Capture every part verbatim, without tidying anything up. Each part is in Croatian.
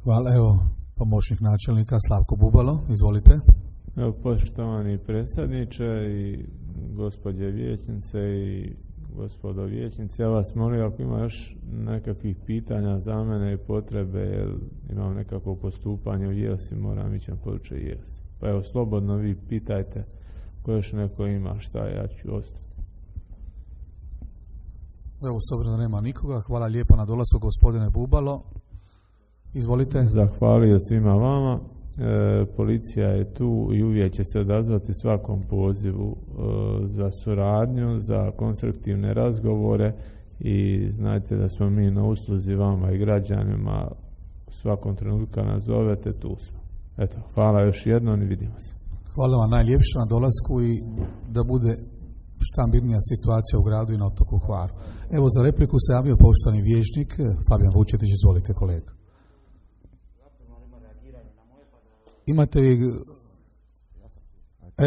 Hvala, evo, pomoćnik načelnika Slavko Bubalo, izvolite. Evo, poštovani predsjedniče i gospođe vijećnice i gospodo vijećnici, ja vas molim ako ima još nekakvih pitanja za mene i potrebe, jer imam nekako postupanje u Jelsi, moram ići na područje Jelsi. Pa evo, slobodno vi pitajte ko još neko ima šta, ja ću ostati. Evo, s obzirom da nema nikoga, hvala lijepo na dolasku gospodine Bubalo. Izvolite. Zahvalio svima vama. E, policija je tu i uvijek će se odazvati svakom pozivu e, za suradnju, za konstruktivne razgovore i znajte da smo mi na usluzi vama i građanima u svakom trenutku kad nas zovete, tu smo. Eto, hvala još jednom i vidimo se. Hvala vam najljepše na dolasku i da bude šta mirnija situacija u gradu i na otoku Hvaru. Evo, za repliku se javio poštovani vijećnik Fabijan Vučetić, izvolite kolega. Imate vi,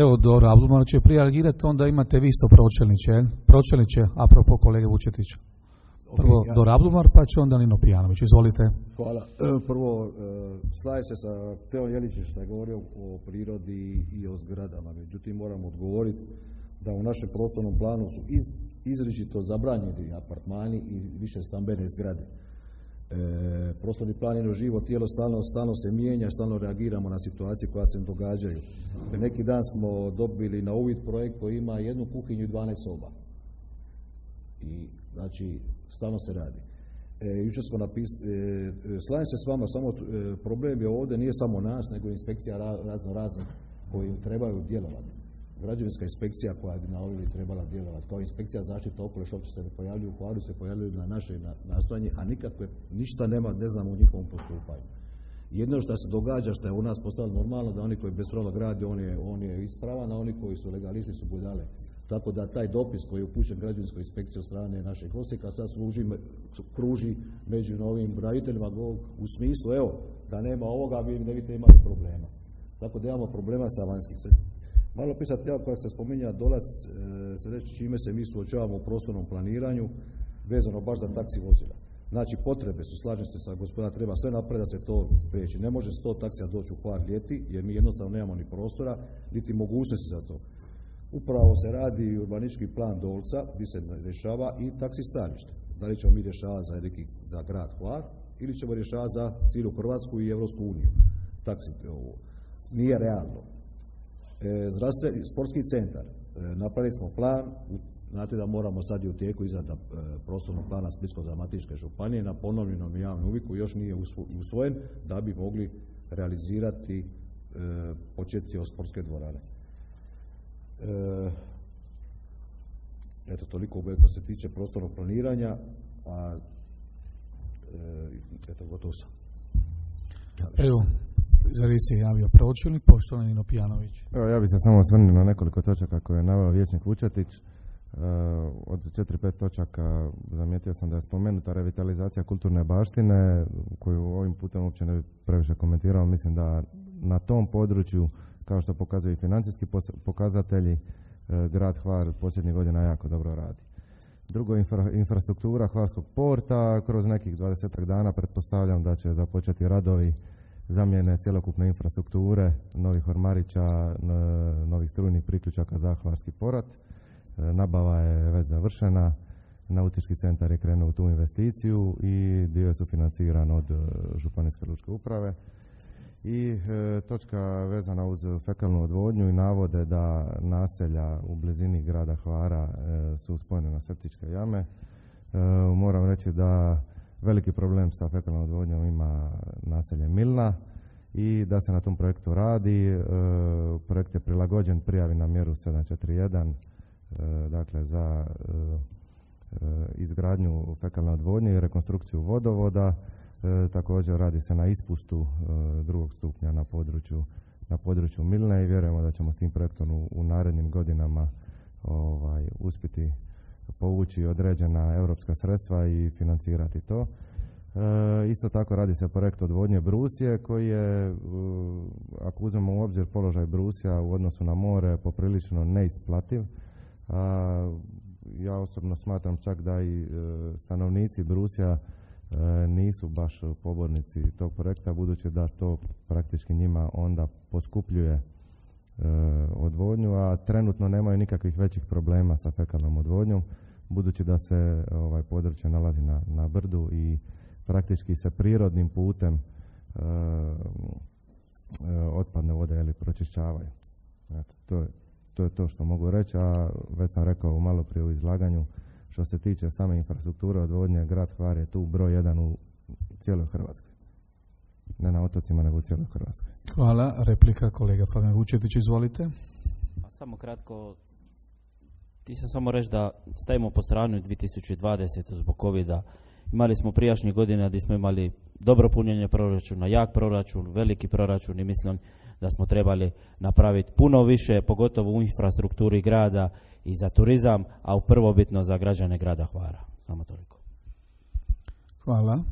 evo dobro, Abdulman će prije reagirati, onda imate vi isto pročelniče, pročelniče, apropo kolege Vučetića. Prvo okay, ja. Dor Abdulman, pa će onda Nino Pijanović, izvolite. Hvala. Prvo, slažem se sa Teom Jelićem što je govorio o prirodi i o zgradama, međutim moram odgovoriti da u našem prostornom planu su iz, izričito zabranjeni apartmani i više stambene zgrade. E, prostorni plan je živo tijelo, stalno, stalno se mijenja, stalno reagiramo na situacije koja se događaju. Neki dan smo dobili na uvid projekt koji ima jednu kuhinju i dvanaest soba. I znači stalno se radi. E, jučer smo napisali, e, slažem se s vama, samo e, problem je ovdje nije samo nas, nego inspekcija razno raznih koji trebaju djelovati. Građevinska inspekcija koja bi na ovdje trebala djelovati, kao inspekcija zaštita okoliša, uopće se ne pojavljuju u Hvaru, se pojavljuju na naše nastojanje, a nikakve, ništa nema, ne znamo u njihovom postupanju. Jedno što se događa, što je u nas postalo normalno, da oni koji bespravno grade, on je, on je ispravan, a oni koji su legalisti su budale. Tako da taj dopis koji je upućen građevinskoj inspekciji od strane našeg Osijeka sad služi, kruži među novim graditeljima u smislu, evo, da nema ovoga, vi ne biste imali problema. Tako da imamo problema sa vanjskim. Malo pisati, ja kako se spominja Dolac, e, se reći čime se mi suočavamo u prostornom planiranju, vezano baš za taksi vozila. Znači, potrebe su, slažem se sa gospoda, treba sve napraviti da se to spriječi. Ne može sto taksija doći u Hvar ljeti, jer mi jednostavno nemamo ni prostora, niti mogućnosti za to. Upravo se radi urbanistički plan Dolca, gdje se rješava i taksi stanište. Da li ćemo mi rješavati za, neki, za grad Hvar, ili ćemo rješavati za cijelu Hrvatsku i Europsku uniju. Taksi, ovo. Nije realno. E, zdravstveni sportski centar, e, napravili smo plan, u, znate da moramo sad i u tijeku izrada e, prostornog plana Splitsko-dalmatinske županije na ponovljenom javnom uviku, još nije usvojen, da bi mogli realizirati e, početi od sportske dvorane. E, eto, toliko što se tiče prostornog planiranja, a e, eto, gotovo sam. Evo, za riječ se javio pročelnik, poštovani Nino Pijanović. Evo, ja bih se samo osvrnuo na nekoliko točaka koje je naveo vijećnik Vučetić. E, od četiri pet točaka zamijetio sam da je spomenuta revitalizacija kulturne baštine, koju ovim putem uopće ne bi previše komentirao. Mislim da na tom području, kao što pokazuju i financijski pokazatelji, e, grad Hvar posljednjih godina jako dobro radi. Drugo, infra, infrastruktura Hvarskog porta, kroz nekih dvadesetak dana pretpostavljam da će započeti radovi zamjene cjelokupne infrastrukture, novih ormarića, novih strujnih priključaka za Hvarski porat. Nabava je već završena, nautički centar je krenuo u tu investiciju i dio je sufinanciran od Županijske lučke uprave. I e, točka vezana uz fekalnu odvodnju i navode da naselja u blizini grada Hvara e, su spojene na septičke jame. E, moram reći da veliki problem sa fekalnom odvodnjom ima naselje Milna i da se na tom projektu radi. E, projekt je prilagođen prijavi na mjeru sedam četiri jedan, e, dakle za e, e, izgradnju fekalne odvodnje i rekonstrukciju vodovoda. E, također radi se na ispustu e, drugog stupnja na području, na području Milne i vjerujemo da ćemo s tim projektom u, u narednim godinama ovaj, uspjeti povući određena europska sredstva i financirati to. E, isto tako radi se projekt odvodnje Brusije koji je, e, ako uzmemo u obzir položaj Brusija u odnosu na more, poprilično neisplativ. A, ja osobno smatram čak da i e, stanovnici Brusija nisu baš pobornici tog projekta, budući da to praktički njima onda poskupljuje odvodnju, a trenutno nemaju nikakvih većih problema sa fekalnom odvodnjom, budući da se ovaj područje nalazi na, na brdu i praktički se prirodnim putem e, e, otpadne vode ili pročišćavaju. Eto, to, je, to je to što mogu reći, a već sam rekao malo prije u izlaganju, što se tiče same infrastrukture odvodnje, grad Hvar je tu broj jedan u cijeloj Hrvatskoj. Ne na otocima, nego u cijeloj Hrvatskoj. Hvala. Replika kolega Fabijan Vučetić, izvolite. A samo kratko, ti sam samo reći da stavimo po stranu dvije tisuće dvadesete zbog covida. Imali smo prijašnje godine gdje smo imali dobro punjenje proračuna, jak proračun, veliki proračun i mislim da smo trebali napraviti puno više, pogotovo u infrastrukturi grada i za turizam, a u prvobitno za građane grada Hvara. Samo toliko. Hvala.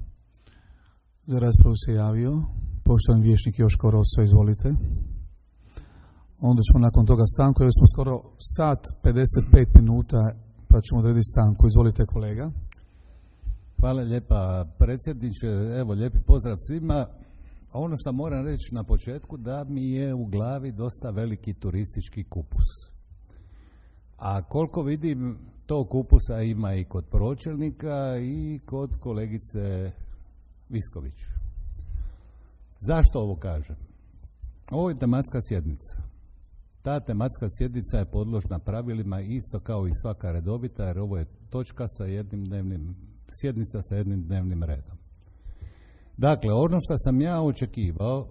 Za raspravu se javio poštovani vijećnik Joško Rosso, izvolite. Onda ćemo nakon toga stanku, jer smo skoro sat pedeset pet minuta, pa ćemo odrediti stanku. Izvolite kolega. Hvala lijepa predsjedniče, evo lijepi pozdrav svima. Ono što moram reći na početku, da mi je u glavi dosta veliki turistički kupus. A koliko vidim, tog kupusa ima i kod pročelnika i kod kolegice Visković. Zašto ovo kažem? Ovo je tematska sjednica. Ta tematska sjednica je podložna pravilima isto kao i svaka redovita, jer ovo je točka sa jednim dnevnim, sjednica sa jednim dnevnim redom. Dakle, ono što sam ja očekivao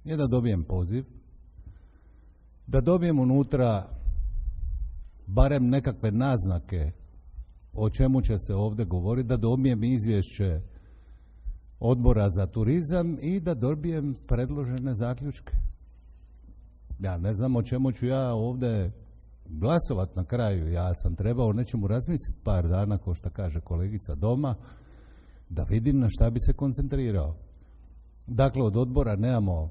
je da dobijem poziv, da dobijem unutra barem nekakve naznake o čemu će se ovdje govoriti, da dobijem izvješće Odbora za turizam i da dobijem predložene zaključke. Ja ne znam o čemu ću ja ovdje glasovat na kraju. Ja sam trebao o nečemu razmisliti par dana, kao što kaže kolegica doma, da vidim na šta bi se koncentrirao. Dakle, od odbora nemamo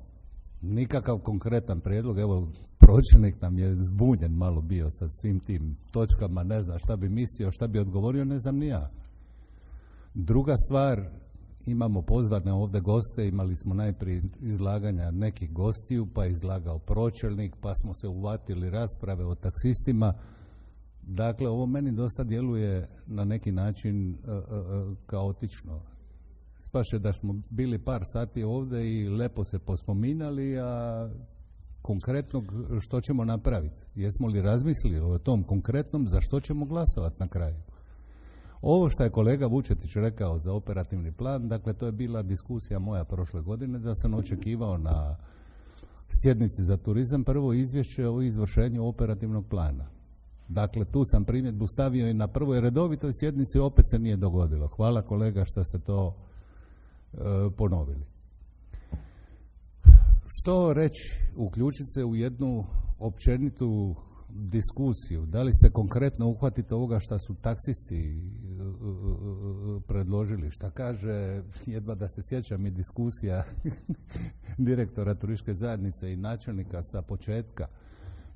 nikakav konkretan prijedlog. Evo, pročelnik nam je zbunjen malo bio sa svim tim točkama, ne zna šta bi mislio, šta bi odgovorio, ne znam ni ja. Druga stvar, imamo pozvane ovdje goste, imali smo najprije izlaganja nekih gostiju, pa je izlagao pročelnik, pa smo se uvatili rasprave o taksistima. Dakle, ovo meni dosta djeluje na neki način uh, uh, kaotično. Spaše da smo bili par sati ovdje i lepo se pospominali, a konkretno što ćemo napraviti? Jesmo li razmislili o tom konkretnom za što ćemo glasovati na kraju? Ovo što je kolega Vučetić rekao za operativni plan, dakle to je bila diskusija moja prošle godine, da sam očekivao na sjednici za turizam prvo izvješće o izvršenju operativnog plana. Dakle, tu sam primjedbu stavio i na prvoj redovitoj sjednici, opet se nije dogodilo. Hvala kolega što ste to e, ponovili. Što reći, uključiti se u jednu općenitu diskusiju, da li se konkretno uhvatite ovoga što su taksisti predložili, šta kaže, jedva da se sjećam i diskusija direktora turističke zajednice i načelnika sa početka,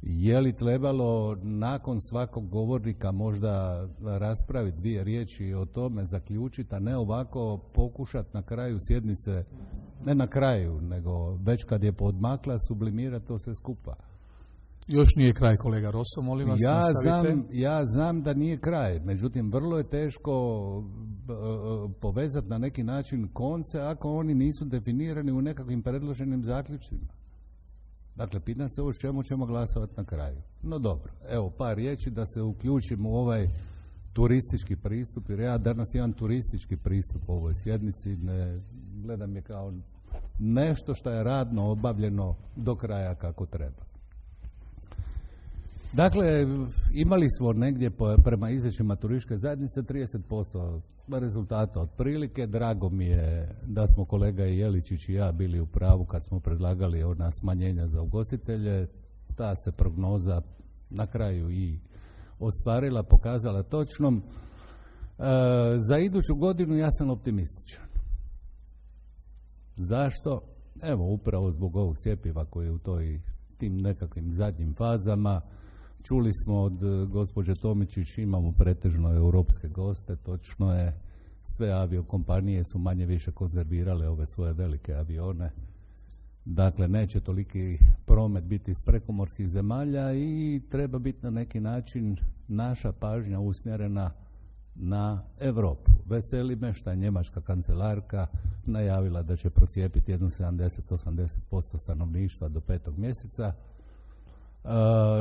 je li trebalo nakon svakog govornika možda raspraviti dvije riječi o tome, zaključiti, a ne ovako pokušati na kraju sjednice, ne na kraju, nego već kad je podmakla, sublimirati to sve skupa. Još nije kraj, kolega Rosso, molim vas, ja nastavite. znam, ja znam da nije kraj, međutim vrlo je teško uh, povezati na neki način konce ako oni nisu definirani u nekakvim predloženim zaključcima. Dakle, pitam se o čemu ćemo glasovati na kraju. No dobro, evo par riječi da se uključimo u ovaj turistički pristup, jer ja danas imam turistički pristup u ovoj sjednici, ne gledam je kao nešto što je radno obavljeno do kraja kako treba. Dakle, imali smo negdje po, prema izvješćima turističke zajednice trideset posto rezultata otprilike. Drago mi je da smo kolega Jeličić i ja bili u pravu kad smo predlagali ona smanjenja za ugostitelje. Ta se prognoza na kraju i ostvarila, pokazala točnom. E, za iduću godinu ja sam optimističan. Zašto? Evo, upravo zbog ovog cjepiva koji je u toj, tim nekakvim zadnjim fazama. Čuli smo od gospođe Tomičić, imamo pretežno europske goste, točno je, sve aviokompanije su manje više konzervirale ove svoje velike avione. Dakle, neće toliki promet biti iz prekomorskih zemalja i treba biti na neki način naša pažnja usmjerena na Europu. Veseli me što je njemačka kancelarka najavila da će procijepiti jedno sedamdeset do osamdeset posto stanovništva do petog mjeseca,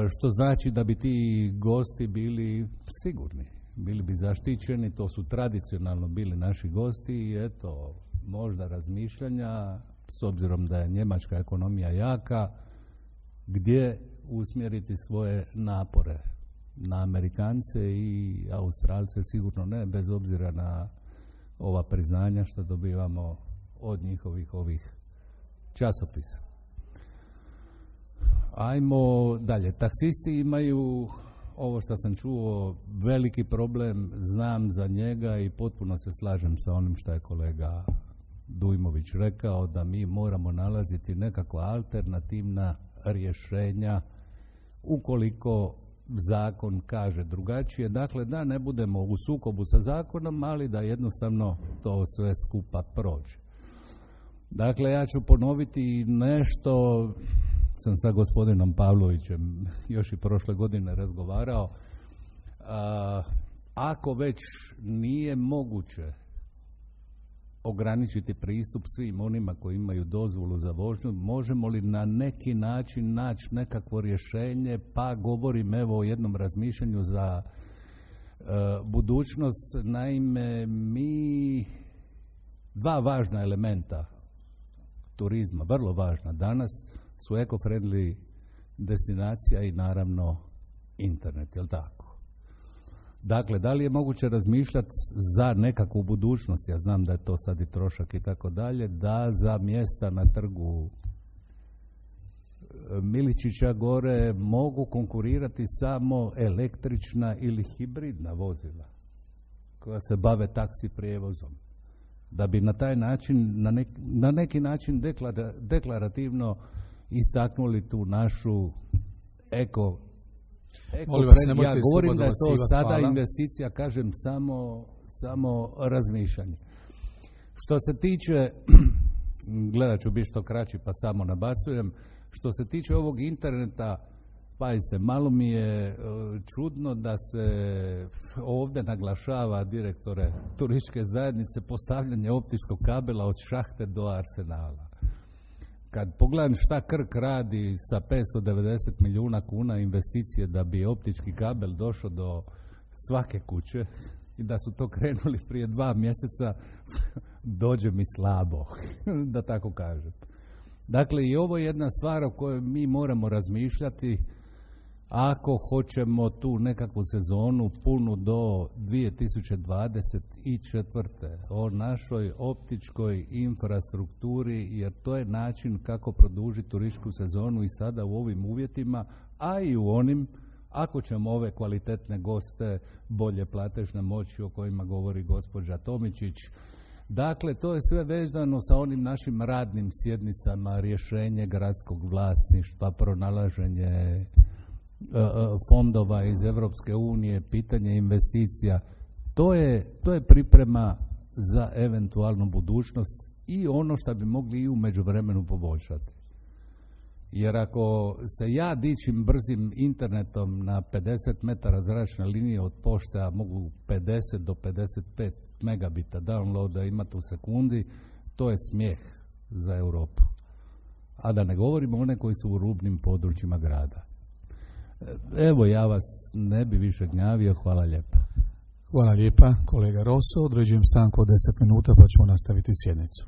što znači da bi ti gosti bili sigurni, bili bi zaštićeni. To su tradicionalno bili naši gosti i eto, možda razmišljanja, s obzirom da je njemačka ekonomija jaka, gdje usmjeriti svoje napore. Na Amerikance i Australce sigurno ne, bez obzira na ova priznanja što dobivamo od njihovih ovih časopisa. Ajmo dalje. Taksisti imaju, ovo što sam čuo, veliki problem, znam za njega i potpuno se slažem sa onim što je kolega Dujmović rekao, da mi moramo nalaziti nekakva alternativna rješenja ukoliko zakon kaže drugačije. Dakle, da ne budemo u sukobu sa zakonom, ali da jednostavno to sve skupa prođe. Dakle, ja ću ponoviti nešto, sam sa gospodinom Pavlovićem još i prošle godine razgovarao. A, ako već nije moguće ograničiti pristup svim onima koji imaju dozvolu za vožnju, možemo li na neki način naći nekakvo rješenje, pa govorim evo o jednom razmišljanju za e, budućnost. Naime, mi dva važna elementa turizma, vrlo važna danas, su eco-friendly destinacija i naravno internet, jel tako? Dakle, da li je moguće razmišljati za nekakvu budućnost, ja znam da je to sad i trošak i tako dalje, da za mjesta na trgu Miličića gore mogu konkurirati samo električna ili hibridna vozila koja se bave taksi prijevozom, da bi na taj način, na neki, na neki način deklara, deklarativno istaknuli tu našu eko Eko, vas, ja govorim da je to sada hvala. Investicija, kažem samo, samo razmišljanje. Što se tiče, gledat ću biti što kraći pa samo nabacujem, što se tiče ovog interneta, pazite, malo mi je čudno da se ovdje naglašava, direktore turističke zajednice, postavljanje optičkog kabela od šahte do arsenala. Kad pogledam šta Krk radi sa petsto devedeset milijuna kuna investicije da bi optički kabel došao do svake kuće i da su to krenuli prije dva mjeseca, dođe mi slabo, da tako kažem. Dakle, i ovo je jedna stvar o kojoj mi moramo razmišljati ako hoćemo tu nekakvu sezonu punu do dvije tisuće dvadeset četvrte o našoj optičkoj infrastrukturi, jer to je način kako produžiti turističku sezonu i sada u ovim uvjetima, a i u onim, ako ćemo ove kvalitetne goste, bolje platežne moći o kojima govori gospođa Tomičić. Dakle, to je sve vezano sa onim našim radnim sjednicama, rješenje gradskog vlasništva, pronalaženje fondova iz Europske unije, pitanje investicija. To je, to je priprema za eventualnu budućnost i ono što bi mogli i u međuvremenu poboljšati. Jer ako se ja dičim brzim internetom na pedeset metara zračne linije od pošte, a mogu pedeset do pedeset pet megabita downloada imati u sekundi, to je smijeh za Europu. A da ne govorimo one koji su u rubnim područjima grada. Evo, ja vas ne bi više gnjavio, hvala lijepa. Hvala lijepa, kolega Rosso. Određujem stanku od deset minuta pa ćemo nastaviti sjednicu.